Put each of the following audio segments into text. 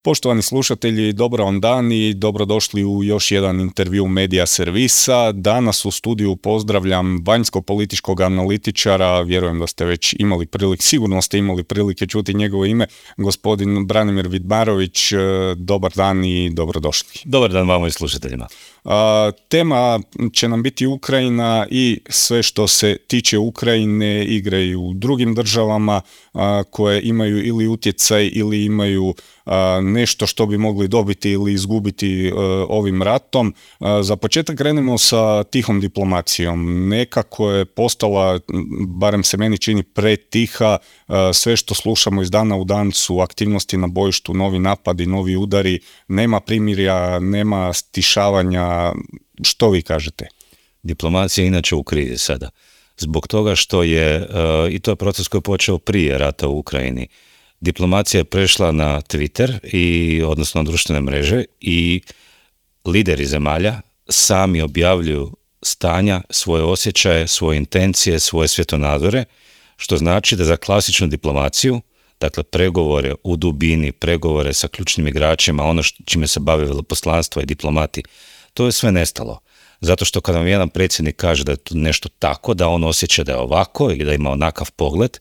Poštovani slušatelji, dobar vam dan i dobrodošli u još jedan intervju Medija servisa. Danas u studiju pozdravljam vanjsko-političkog analitičara, vjerujem da ste već imali prilike, sigurno ste imali prilike čuti njegovo ime, gospodin Branimir Vidmarović. Dobar dan i dobrodošli. Dobar dan vama i slušateljima. Tema će nam biti Ukrajina i sve što se tiče Ukrajine, igre i u drugim državama koje imaju ili utjecaj ili imaju nešto što bi mogli dobiti ili izgubiti ovim ratom. Za početak krenemo sa tihom diplomacijom. Nekako je postala, barem se meni čini, pretiha. Sve što slušamo iz dana u dan su aktivnosti na bojištu, novi napadi, novi udari, nema primirja, nema stišavanja. Što vi kažete? Diplomacija je inače u krizi sada. Zbog toga što je, i to je proces koji je počeo prije rata u Ukrajini, diplomacija je prešla na Twitter, odnosno na društvene mreže, i lideri zemalja sami objavljuju stanja, svoje osjećaje, svoje intencije, svoje svjetonazore, što znači da za klasičnu diplomaciju, dakle pregovore u dubini, pregovore sa ključnim igračima, ono čime se bave veleposlanstva i diplomati, to je sve nestalo. Zato što kada vam jedan predsjednik kaže da je to nešto tako, da on osjeća da je ovako ili da ima onakav pogled,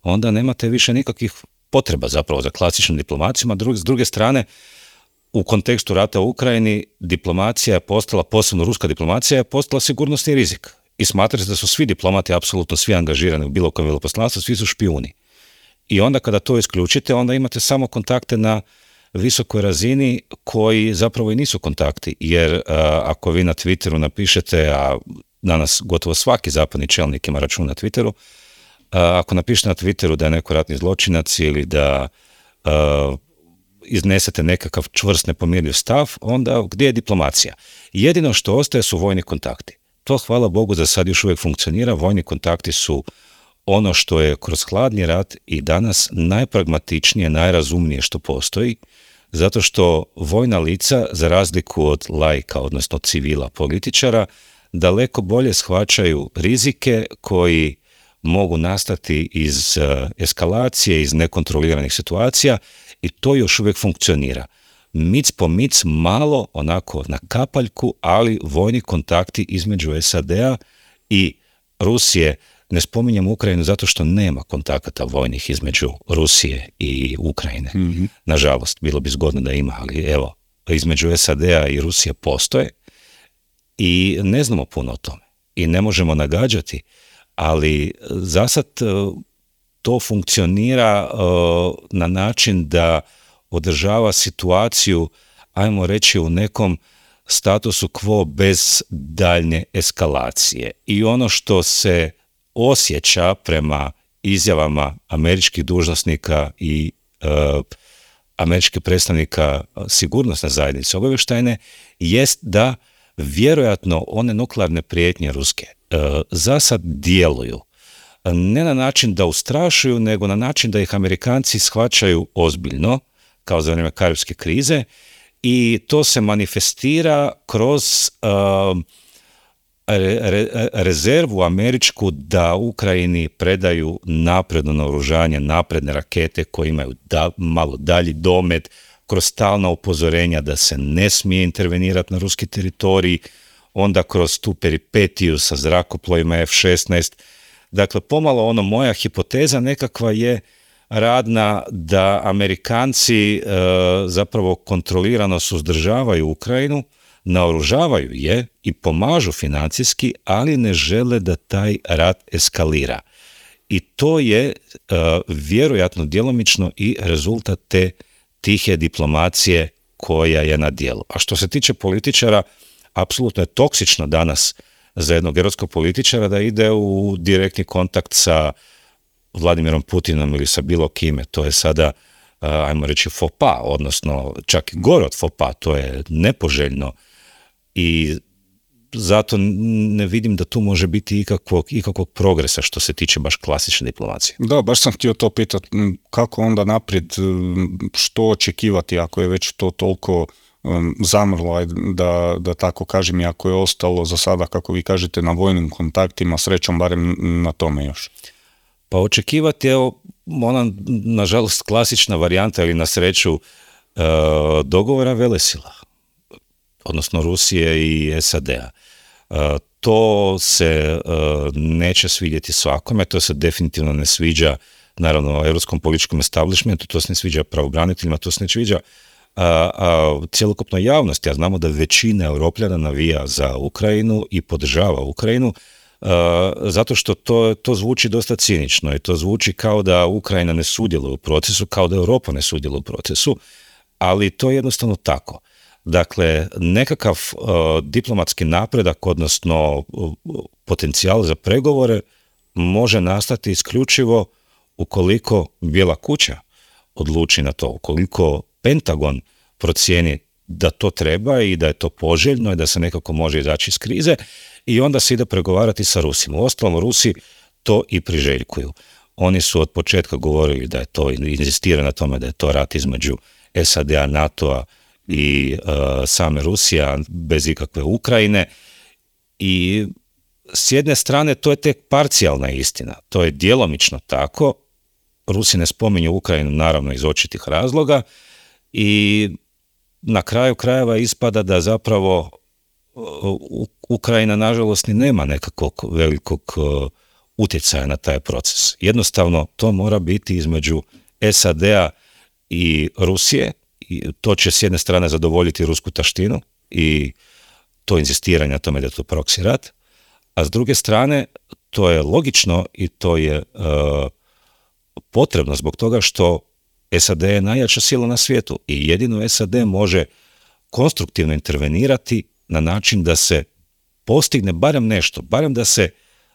onda nemate više nikakvih potreba zapravo za klasičnom diplomacijom, a s druge strane, u kontekstu rata u Ukrajini, diplomacija je postala, posebno ruska diplomacija, je postala sigurnosni rizik. I smatra se da su svi diplomati, apsolutno svi angažirani u bilo kojem veleposlanstvu, svi su špijuni. I onda kada to isključite, onda imate samo kontakte na visokoj razini koji zapravo i nisu kontakti, jer ako vi na Twitteru napišete, a danas gotovo svaki zapadni čelnik ima račun na Twitteru, ako napišete na Twitteru da je neko ratni zločinac ili da iznesete nekakav čvrst nepomirljiv stav, onda gdje je diplomacija? Jedino što ostaje su vojni kontakti. To, hvala Bogu, za sad još uvijek funkcionira. Vojni kontakti su ono što je kroz hladni rat i danas najpragmatičnije, najrazumnije što postoji, zato što vojna lica, za razliku od laika, odnosno civila, političara, daleko bolje shvaćaju rizike koji mogu nastati iz eskalacije, iz nekontroliranih situacija, i to još uvijek funkcionira. Mic po mic, malo, onako na kapaljku, ali vojni kontakti između SAD-a i Rusije. Ne spominjem Ukrajinu zato što nema kontakata vojnih između Rusije i Ukrajine. Mm-hmm. Nažalost, bilo bi zgodno da ima, ali evo, između SAD-a i Rusije postoje i ne znamo puno o tome i ne možemo nagađati, ali zasad to funkcionira na način da održava situaciju, ajmo reći, u nekom statusu quo bez daljnje eskalacije. I ono što se osjeća prema izjavama američkih dužnosnika i američkih predstavnika sigurnosne zajednice obavještajne jest da vjerojatno one nuklearne prijetnje ruske zasad djeluju ne na način da ustrašuju, nego na način da ih Amerikanci shvaćaju ozbiljno, kao za vrijeme Karibske krize, i to se manifestira kroz rezervu američku da Ukrajini predaju napredno naoružanje, napredne rakete koje imaju malo dalji domet, kroz stalna upozorenja da se ne smije intervenirati na ruski teritorij, onda kroz tu peripetiju sa zrakoplovima F-16. Dakle, pomalo moja hipoteza nekakva je radna da Amerikanci zapravo kontrolirano suzdržavaju Ukrajinu, naoružavaju je i pomažu financijski, ali ne žele da taj rat eskalira. I to je vjerojatno djelomično i rezultat te tihe diplomacije koja je na djelu. A što se tiče političara, apsolutno je toksično danas za jednog europskog političara da ide u direktni kontakt sa Vladimirom Putinom ili sa bilo kime. To je sada, ajmo reći, faux pas, odnosno čak i gore od faux pas, to je nepoželjno. I zato ne vidim da tu može biti ikakvog progresa što se tiče baš klasične diplomacije. Da, baš sam htio to pitati, kako onda naprijed, što očekivati ako je već to toliko zamrlo, da tako kažem, i ako je ostalo za sada, kako vi kažete, na vojnim kontaktima, srećom barem na tome još. Pa očekivati, evo, ona, nažalost, klasična varijanta ili na sreću dogovora velesila, odnosno Rusije i SAD-a. To se neće svidjeti svakome, to se definitivno ne sviđa naravno europskom političkom establishmentu, to se ne sviđa pravobraniteljima, to se ne sviđa cjelokupnoj javnosti, a znamo da većina Europljana navija za Ukrajinu i podržava Ukrajinu, zato što to zvuči dosta cinično i to zvuči kao da Ukrajina ne sudjeluje u procesu, kao da Europa ne sudjeluje u procesu, ali to je jednostavno tako. Dakle, nekakav diplomatski napredak, odnosno potencijal za pregovore može nastati isključivo ukoliko Bijela kuća odluči na to, ukoliko Pentagon procijeni da to treba i da je to poželjno i da se nekako može izaći iz krize i onda se ide pregovarati sa Rusima. Uostalom, Rusi to i priželjkuju. Oni su od početka govorili da je to, inzistiraju na tome da je to rat između SAD-a, NATO-a i same Rusija bez ikakve Ukrajine i s jedne strane to je tek parcijalna istina, to je djelomično tako, Rusi ne spominju Ukrajinu naravno iz očitih razloga i na kraju krajeva ispada da zapravo Ukrajina nažalost ni nema nekakvog velikog utjecaja na taj proces. Jednostavno to mora biti između SAD-a i Rusije i to će s jedne strane zadovoljiti rusku taštinu i to inzistiranje na tome da je to proxy rat, a s druge strane to je logično i to je potrebno zbog toga što SAD je najjača sila na svijetu i jedino SAD može konstruktivno intervenirati na način da se postigne barem nešto, barem da se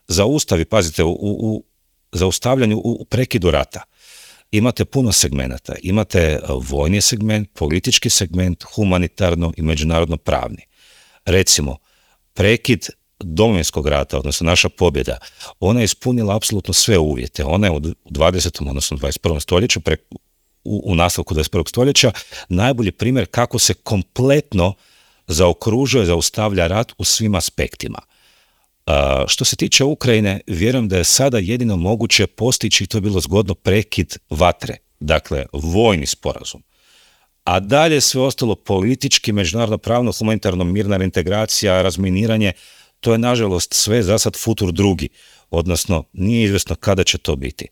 zaustavi, pazite, u zaustavljanju, u prekidu rata. Imate puno segmenata, imate vojni segment, politički segment, humanitarno i međunarodno pravni. Recimo, prekid Domovinskog rata, odnosno naša pobjeda, ona je ispunila apsolutno sve uvjete. Ona je u 20. odnosno 21. stoljeću, u nastavku 21. stoljeća, najbolji primjer kako se kompletno zaokružuje, zaustavlja rat u svim aspektima. Što se tiče Ukrajine, vjerujem da je sada jedino moguće postići, i to je bilo zgodno, prekid vatre, dakle vojni sporazum. A dalje sve ostalo politički, međunarodno pravno, humanitarno, mirna reintegracija, razminiranje, to je nažalost sve za sad futur drugi, odnosno nije izvjesno kada će to biti.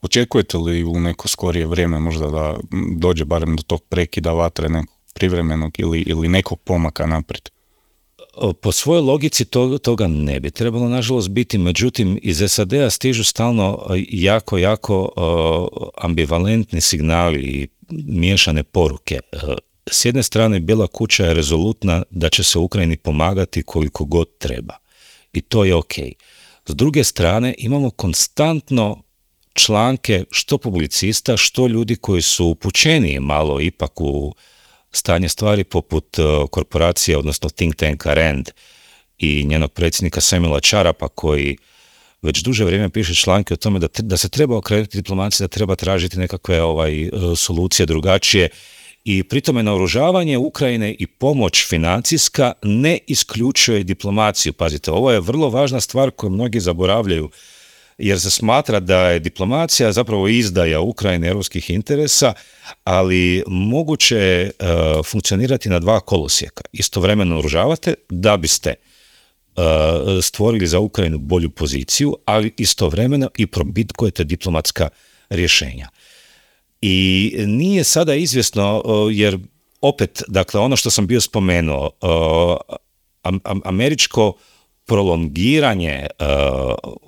Očekujete li u neko skorije vrijeme možda da dođe barem do tog prekida vatre, nekog privremenog ili nekog pomaka naprijed? Po svojoj logici toga ne bi trebalo nažalost biti, međutim iz SAD-a stižu stalno jako ambivalentni signali i miješane poruke. S jedne strane Bijela kuća je rezolutna da će se Ukrajini pomagati koliko god treba i to je ok. S druge strane imamo konstantno članke što publicista, što ljudi koji su upućeniji malo ipak u stanje stvari poput korporacije, odnosno think tanka RAND i njenog predsjednika Samuela Charapa koji već duže vrijeme piše članke o tome da se treba okrenuti diplomaciji, da treba tražiti nekakve solucije drugačije i pri tome naoružavanje Ukrajine i pomoć financijska ne isključuje diplomaciju. Pazite, ovo je vrlo važna stvar koju mnogi zaboravljaju jer se smatra da je diplomacija zapravo izdaja Ukrajine europskih interesa, ali moguće je funkcionirati na dva kolosijeka. Istovremeno naoružavate da biste stvorili za Ukrajinu bolju poziciju, ali istovremeno i probitkujete diplomatska rješenja. I nije sada izvjesno, jer opet, dakle, ono što sam bio spomenuo, američko prolongiranje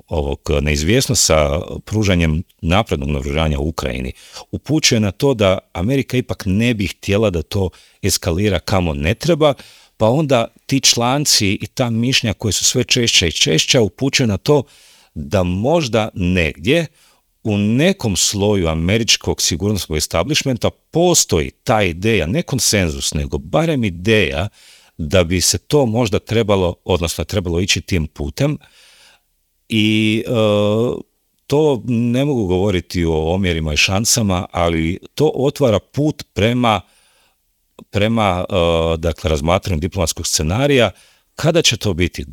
ovog neizvjesno sa pružanjem naprednog naoružanja u Ukrajini upućuje na to da Amerika ipak ne bi htjela da to eskalira kamo ne treba, pa onda ti članci i ta mišljenja koje su sve češća i češća upućuju na to da možda negdje u nekom sloju američkog sigurnosnog establishmenta postoji ta ideja, ne konsenzus, nego barem ideja da bi se to možda trebalo ići tim putem i to ne mogu govoriti o omjerima i šansama, ali to otvara put prema dakle, razmatranju diplomatskog scenarija. Kada će to biti?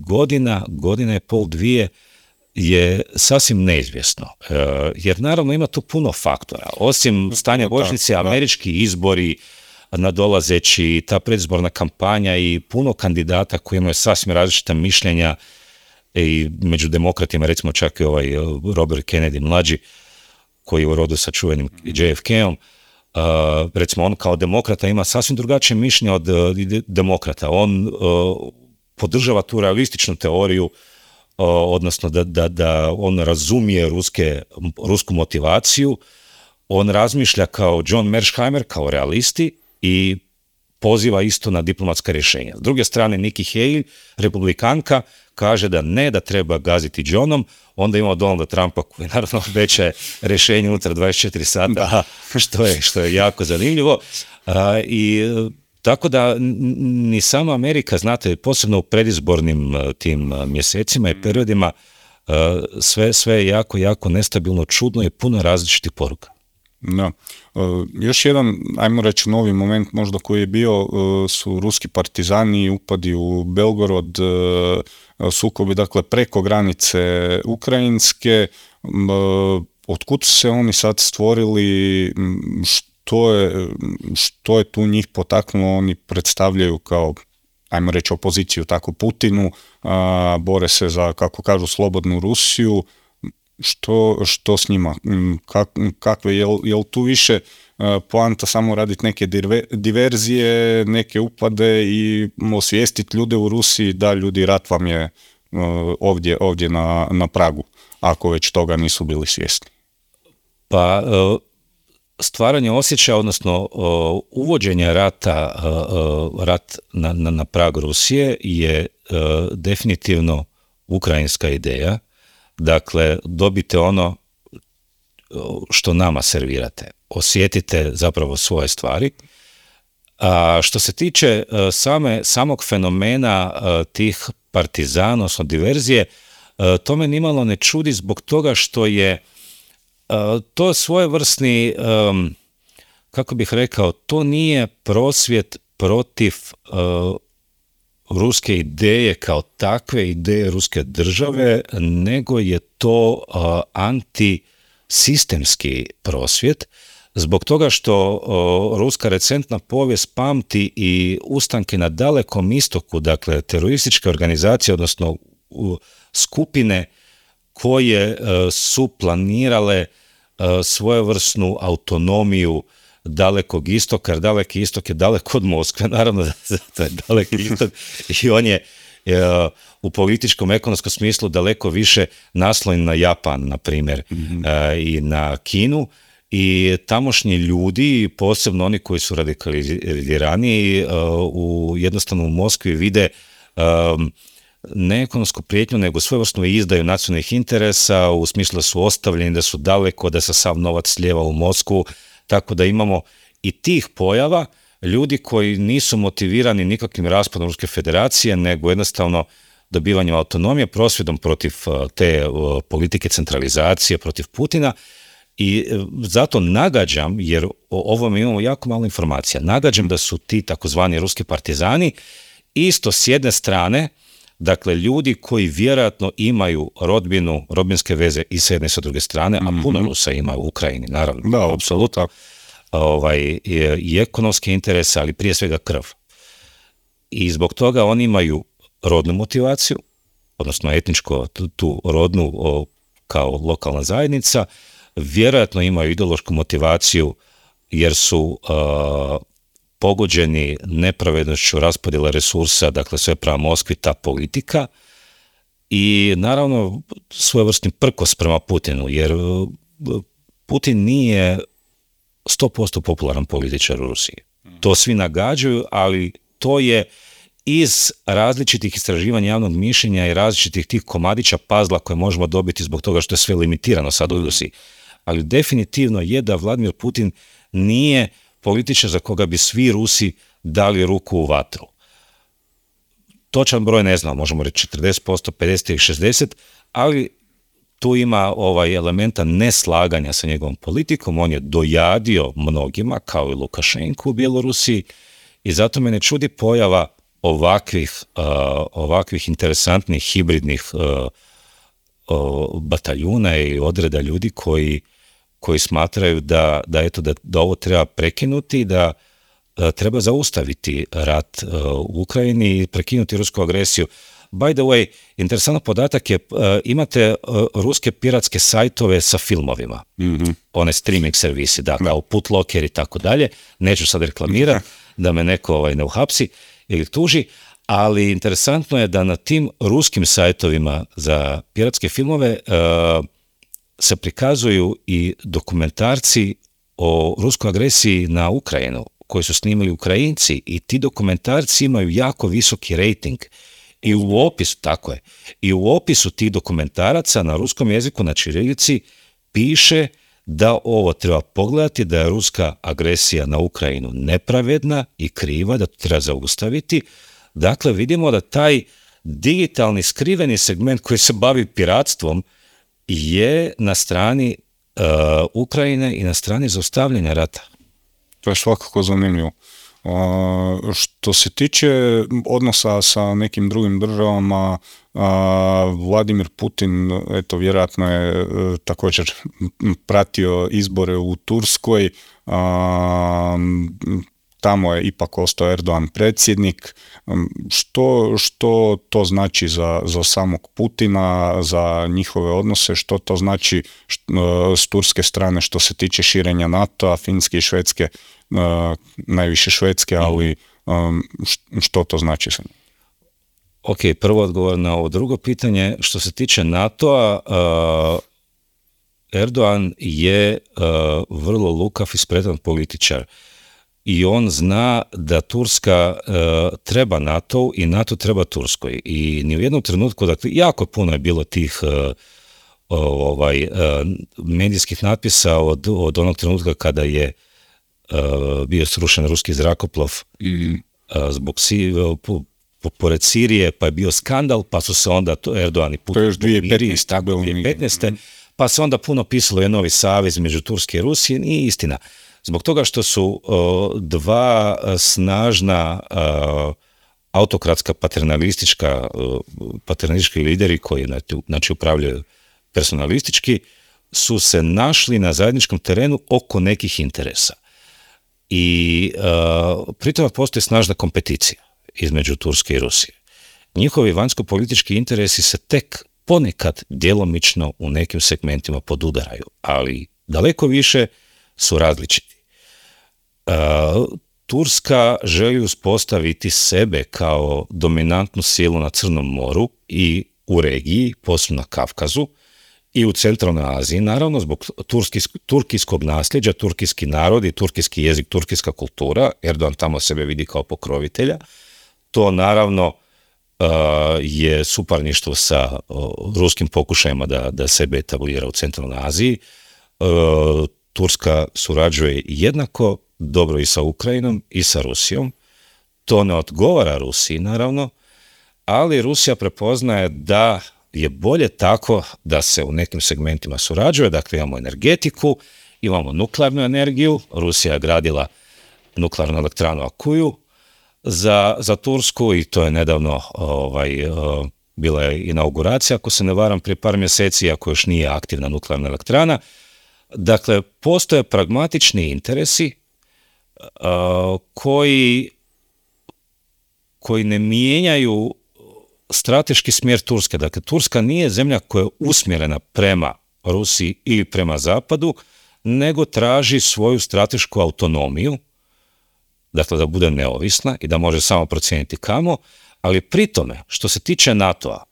Godina i pol, dvije, je sasvim neizvjesno, jer naravno ima tu puno faktora. Osim stanja bojišnice, američki izbori, nadolazeći, ta predizborna kampanja i puno kandidata koji imaju sasvim različita mišljenja, i među demokratima, recimo čak i ovaj Robert Kennedy mlađi, koji je u rodu sa čuvenim JFK-om, recimo on kao demokrata ima sasvim drugačije mišljenje od demokrata. On podržava tu realističnu teoriju, odnosno da on razumije rusku motivaciju, on razmišlja kao John Mearsheimer, kao realisti, i poziva isto na diplomatska rješenja. S druge strane, Nikki Haley, republikanka, kaže da treba gaziti Johnom, onda imamo Donalda Trumpa koji naravno obećaje rješenje unutar 24 sata, što je jako zanimljivo. I tako da ni sama Amerika, znate, posebno u predizbornim tim mjesecima i periodima, sve je jako, jako nestabilno, čudno i puno različitih poruka. Da. Još jedan, ajmo reći, novi moment možda koji je bio, su ruski partizani, upadi u Belgorod, sukobi, dakle, preko granice ukrajinske. Otkud su se oni sad stvorili, što je tu njih potaknulo? Oni predstavljaju kao, ajmo reći, opoziciju tako Putinu, bore se za, kako kažu, slobodnu Rusiju. Što s njima? Kakve, jel tu više poanta samo raditi neke diverzije, neke upade i osvijestiti ljude u Rusiji da ljudi, rat vam je ovdje na pragu, ako već toga nisu bili svjesni? Pa stvaranje osjećaja, odnosno uvođenje rat na prag Rusije je definitivno ukrajinska ideja. Dakle, dobite ono što nama servirate. Osjetite zapravo svoje stvari. A što se tiče samog fenomena tih partizana, odnosno diverzije, to me nimalo ne čudi zbog toga što je to svojevrsni, kako bih rekao, to nije prosvjed protiv ruske ideje kao takve, ideje ruske države, nego je to antisistemski prosvjed, zbog toga što ruska recentna povijest pamti i ustanke na Dalekom istoku, dakle terorističke organizacije, odnosno skupine koje su planirale svojevrsnu autonomiju Dalekog istoka, jer Daleki istok je daleko od Moskve, naravno da to je Daleki istok i on je u političkom, ekonomskom smislu daleko više naslonjen na Japan, na primjer, i na Kinu, i tamošnji ljudi, posebno oni koji su radikaliziraniji, jednostavno u Moskvi vide ne ekonomsku prijetnju, nego svojevrsnu izdaju nacionalnih interesa, u smislu da su ostavljeni, da su daleko, da se sav novac slijeva u Moskvu, tako da imamo i tih pojava, ljudi koji nisu motivirani nikakvim raspadom Ruske federacije, nego jednostavno dobivanjem autonomije, prosvjedom protiv te politike centralizacije, protiv Putina. I zato nagađam, jer o ovome imamo jako malo informacija, nagađam da su ti takozvani ruski partizani isto s jedne strane, dakle ljudi koji vjerojatno imaju rodbinske veze i s jedne i s druge strane, a puno Rusa ima u Ukrajini, naravno. Da, apsolutno. I ekonomske interese, ali prije svega krv. I zbog toga oni imaju rodnu motivaciju, odnosno etničko, tu rodnu kao lokalna zajednica, vjerojatno imaju ideološku motivaciju jer su pogođeni nepravednošću raspodjele resursa, dakle sve prema Moskvi, ta politika, i naravno svojevrsni prkos prema Putinu, jer Putin nije 100% popularan političar u Rusiji. To svi nagađaju, ali to je iz različitih istraživanja javnog mišljenja i različitih tih komadića pazla koje možemo dobiti zbog toga što je sve limitirano sad u Rusiji. Ali definitivno je da Vladimir Putin nije političar za koga bi svi Rusi dali ruku u vatru. Točan broj ne znam, možemo reći 40%, 50 ili 60%, ali tu ima elementa neslaganja sa njegovom politikom. On je dojadio mnogima, kao i Lukašenku u Bjelorusiji, i zato me ne čudi pojava ovakvih interesantnih hibridnih bataljuna i odreda ljudi koji smatraju da ovo treba prekinuti, da treba zaustaviti rat u Ukrajini i prekinuti rusku agresiju. By the way, interesantan podatak je, imate ruske piratske sajtove sa filmovima, one streaming servisi, kao Putlocker i tako dalje, neću sad reklamirati da me neko ne uhapsi ili tuži, ali interesantno je da na tim ruskim sajtovima za piratske filmove se prikazuju i dokumentarci o ruskoj agresiji na Ukrajinu, koji su snimili Ukrajinci, i ti dokumentarci imaju jako visoki rating. I u opisu tih dokumentaraca na ruskom jeziku, na ćirilici, piše da ovo treba pogledati, da je ruska agresija na Ukrajinu nepravedna i kriva, da to treba zaustaviti. Dakle, vidimo da taj digitalni skriveni segment koji se bavi piratstvom je na strani Ukrajine i na strani zaustavljanja rata. To je svakako zanimljivo. Što se tiče odnosa sa nekim drugim državama, Vladimir Putin, vjerojatno je također pratio izbore u Turskoj, tamo je ipak ostao Erdogan predsjednik. Što to znači za samog Putina, za njihove odnose, što to znači s turske strane što se tiče širenja NATO-a, Finske i Švedske, najviše Švedske, ali što to znači za njih? Ok, prvo odgovor na ovo drugo pitanje. Što se tiče NATO-a, Erdogan je vrlo lukav i spretan političar. I on zna da Turska treba NATO i NATO treba Turskoj. I ni u jednom trenutku, dakle, jako puno je bilo tih medijskih natpisa od onog trenutka kada je bio srušen ruski zrakoplov zbog pored Sirije, pa je bio skandal, pa su se onda Erdogan i Putin... To je još 2015. Pa se onda puno pisalo je novi savez među Turske i Rusije, nije istina. Zbog toga što su dva snažna autokratska paternalistički lideri koji upravljaju personalistički, su se našli na zajedničkom terenu oko nekih interesa. I pritom postoji snažna kompeticija između Turske i Rusije. Njihovi vanjsko-politički interesi se tek ponekad djelomično u nekim segmentima podudaraju, ali daleko više su različiti. Turska želi uspostaviti sebe kao dominantnu silu na Crnom moru i u regiji, posebno na Kavkazu, i u centralnoj Aziji, naravno, zbog turkijskog nasljeđa, turkijski narod i turkijski jezik, turkijska kultura. Erdogan tamo sebe vidi kao pokrovitelja. To naravno je suparništvo sa ruskim pokušajima da sebe etablira u centralnoj Aziji. Turska surađuje jednako dobro i sa Ukrajinom i sa Rusijom. To ne odgovara Rusiji, naravno, ali Rusija prepoznaje da je bolje tako da se u nekim segmentima surađuje. Dakle, imamo energetiku, imamo nuklearnu energiju. Rusija je gradila nuklearnu elektranu Akuju za Tursku i to je nedavno bila je inauguracija, ako se ne varam, prije par mjeseci, ako još nije aktivna nuklearna elektrana. Dakle, postoje pragmatični interesi koji ne mijenjaju strateški smjer Turske. Dakle, Turska nije zemlja koja je usmjerena prema Rusiji ili prema Zapadu, nego traži svoju stratešku autonomiju, dakle da bude neovisna i da može samo procijeniti kamo, ali pri tome, što se tiče NATO-a,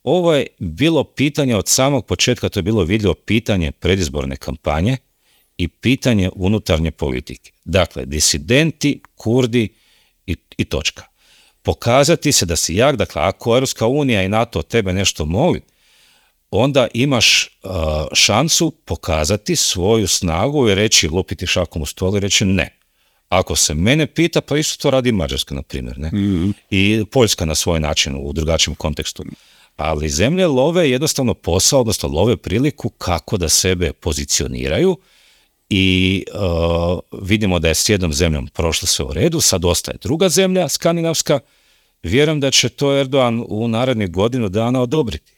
ovo je bilo pitanje od samog početka, to je bilo vidljivo pitanje predizborne kampanje i pitanje unutarnje politike. Dakle, disidenti, Kurdi i točka. Pokazati se da si jak, dakle, ako Europska unija i NATO od tebe nešto moli, onda imaš šansu pokazati svoju snagu i reći, lupiti šakom u stol i reći ne. Ako se mene pita, pa isto to radi Mađarska, na primjer, ne? I Poljska na svoj način, u drugačijem kontekstu. Ali zemlje love jednostavno posao, odnosno love priliku kako da sebe pozicioniraju i vidimo da je s jednom zemljom prošlo sve u redu, sad ostaje druga zemlja, skandinavska. Vjerujem da će to Erdogan u narednih godinu dana odobriti.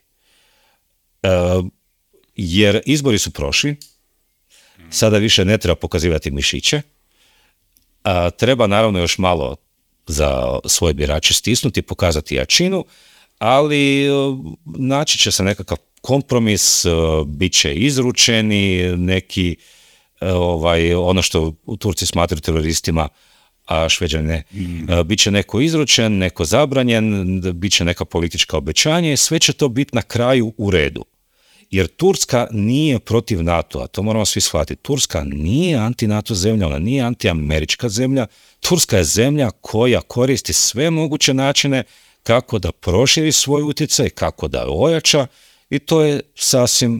jer izbori su prošli, sada više ne treba pokazivati mišiće, treba naravno još malo za svoje birače stisnuti, pokazati jačinu, ali naći će se nekakav kompromis, bit će izručeni neki, ono što u Turci smatraju teroristima, a Šveđani ne. Bit će neko izručen, neko zabranjen, bit će neka politička obećanja i sve će to biti na kraju u redu. Jer Turska nije protiv NATO-a, to moramo svi shvatiti. Turska nije anti-NATO zemlja, ona nije anti-američka zemlja. Turska je zemlja koja koristi sve moguće načine kako da proširi svoj utjecaj, kako da ojača, i to je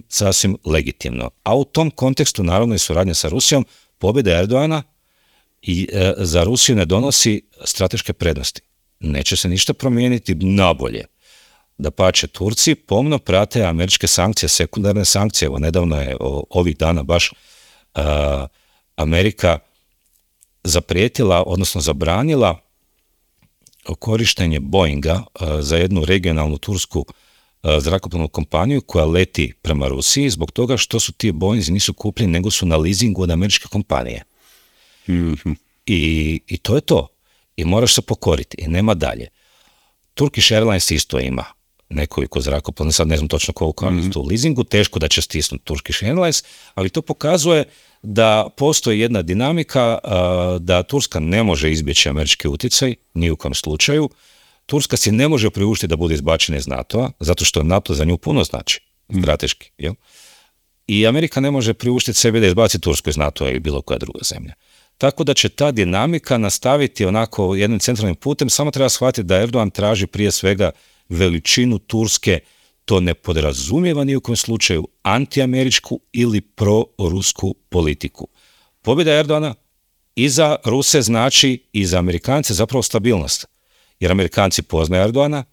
sasvim legitimno. A u tom kontekstu, naravno, i suradnja sa Rusijom, pobjeda Erdoana i za Rusiju ne donosi strateške prednosti. Neće se ništa promijeniti nabolje. Dapače, Turci pomno prate američke sankcije, sekundarne sankcije. Evo, nedavno je ovih dana baš Amerika zaprijetila, odnosno zabranila korištenje Boeinga za jednu regionalnu tursku zrakoplovnu kompaniju koja leti prema Rusiji zbog toga što su ti Boeinzi nisu kupljeni, nego su na leasingu od američke kompanije. Mm-hmm. I to je to. I moraš se pokoriti i nema dalje. Turkish Airlines isto ima nekoliko zrakoplovnih, sad ne znam točno koliko je u leasingu, teško da će stisnuti Turkish Airlines, ali to pokazuje da postoji jedna dinamika da Turska ne može izbjeći američki utjecaj, ni u kojem slučaju. Turska si ne može priuštiti da bude izbačena iz NATO-a, zato što NATO za nju puno znači, strateški. Jel? I Amerika ne može priuštiti sebi da izbaci Tursku iz NATO-a ili bilo koja druga zemlja. Tako da će ta dinamika nastaviti onako jednim centralnim putem, samo treba shvatiti da Erdogan traži prije svega veličinu Turske, to ne podrazumijeva ni u kojem slučaju antiameričku ili prorusku politiku. Pobjeda Erdogana i za Ruse znači i za Amerikance zapravo stabilnost. Jer Amerikanci poznaju Erdogana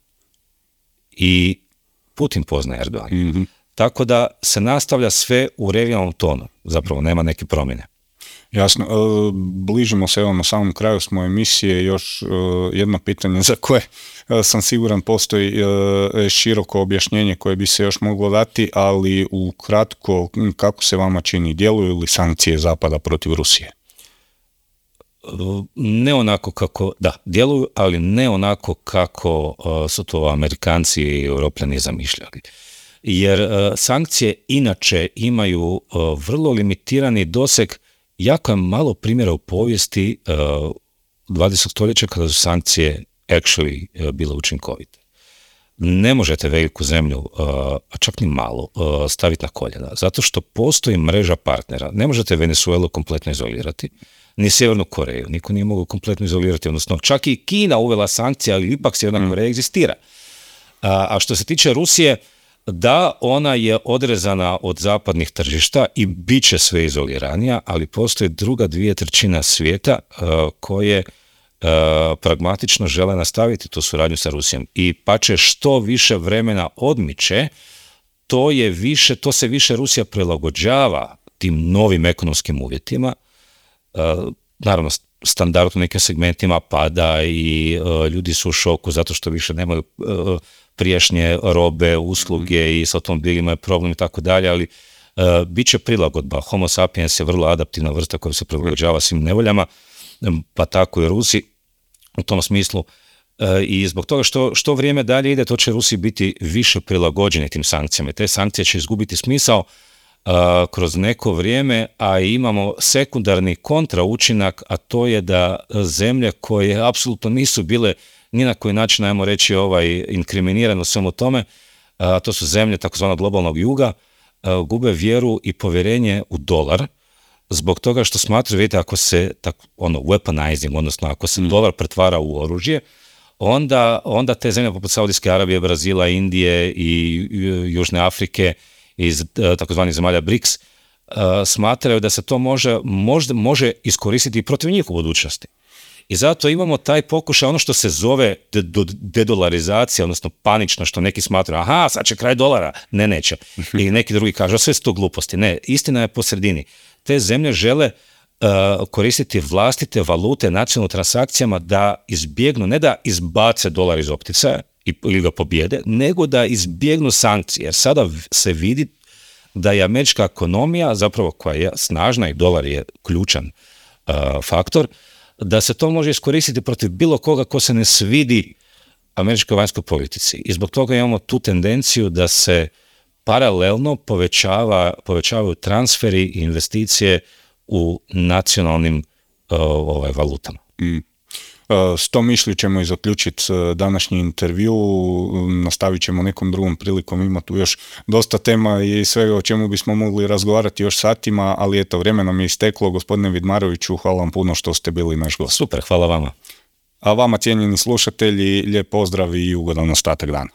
i Putin poznaje Erdogana. Mm-hmm. Tako da se nastavlja sve u regionalnom tonu. Zapravo nema neke promjene. Jasno. Bližimo se evo na samom kraju smo emisije. Još jedno pitanje za koje sam siguran postoji široko objašnjenje koje bi se još moglo dati, ali ukratko, kako se vama čini, djeluju li sankcije Zapada protiv Rusije? Ne onako kako, da, djeluju, ali ne onako kako su to Amerikanci i Europljani zamišljali. Jer sankcije inače imaju vrlo limitirani doseg. Jako je malo primjera u povijesti 20. stoljeća kada su sankcije actually bile učinkovite. Ne možete veliku zemlju, a čak ni malo, staviti na koljena, zato što postoji mreža partnera. Ne možete Venezuelu kompletno izolirati, ni Sjevernu Koreju. Niko nije mogao kompletno izolirati, odnosno čak i Kina uvela sankcije, ali ipak Sjeverna Koreja egzistira. A što se tiče Rusije, da, ona je odrezana od zapadnih tržišta i bit će sve izoliranija, ali postoji druga 2/3 svijeta koje pragmatično žele nastaviti tu suradnju sa Rusijom. I pa će što više vremena odmiče, to se više Rusija prilagođava tim novim ekonomskim uvjetima. Naravno, standard u nekim segmentima pada i ljudi su u šoku zato što više nemaju prijašnje robe, usluge i s automobilima je problem i tako dalje, ali bit će prilagodba. Homo sapiens je vrlo adaptivna vrsta koja se prilagođava svim nevoljama, pa tako i Rusi u tom smislu. I zbog toga što vrijeme dalje ide, to će Rusi biti više prilagođeni tim sankcijama. Te sankcije će izgubiti smisao kroz neko vrijeme, a imamo sekundarni kontraučinak, a to je da zemlje koje apsolutno nisu bile ni na koji način, ajmo reći, inkriminirano svemu tome, a to su zemlje takozvanog globalnog juga, gube vjeru i povjerenje u dolar, zbog toga što smatraju, vidite, ako se weaponizing, odnosno ako se dolar pretvara u oružje, onda te zemlje poput Saudijske Arabije, Brazila, Indije i Južne Afrike iz takozvanih zemalja BRICS smatraju da se to može iskoristiti i protiv njih u budućnosti. I zato imamo taj pokušaj, ono što se zove dedolarizacija, odnosno panično, što neki smatraju, aha, sad će kraj dolara. Ne, neće. I neki drugi kažu, sve su to gluposti. Ne, istina je po sredini. Te zemlje žele koristiti vlastite valute nacionalnim transakcijama da izbjegnu, ne da izbace dolar iz opticaja, ili ga pobjede, nego da izbjegnu sankcije. Jer sada se vidi da je američka ekonomija, zapravo koja je snažna i dolar je ključan faktor, da se to može iskoristiti protiv bilo koga ko se ne svidi američkoj vanjskoj politici. I zbog toga imamo tu tendenciju da se paralelno povećavaju transferi i investicije u nacionalnim valutama. S tom mišlju ćemo i zaključiti današnji intervju, nastavit ćemo nekom drugom prilikom, ima tu još dosta tema i svega o čemu bismo mogli razgovarati još satima, ali eto, vrijeme nam je isteklo. Gospodine Vidmaroviću, hvala vam puno što ste bili naš gost. Super, hvala vama. A vama, cijenjeni slušatelji, lijep pozdrav i ugodan ostatak dana.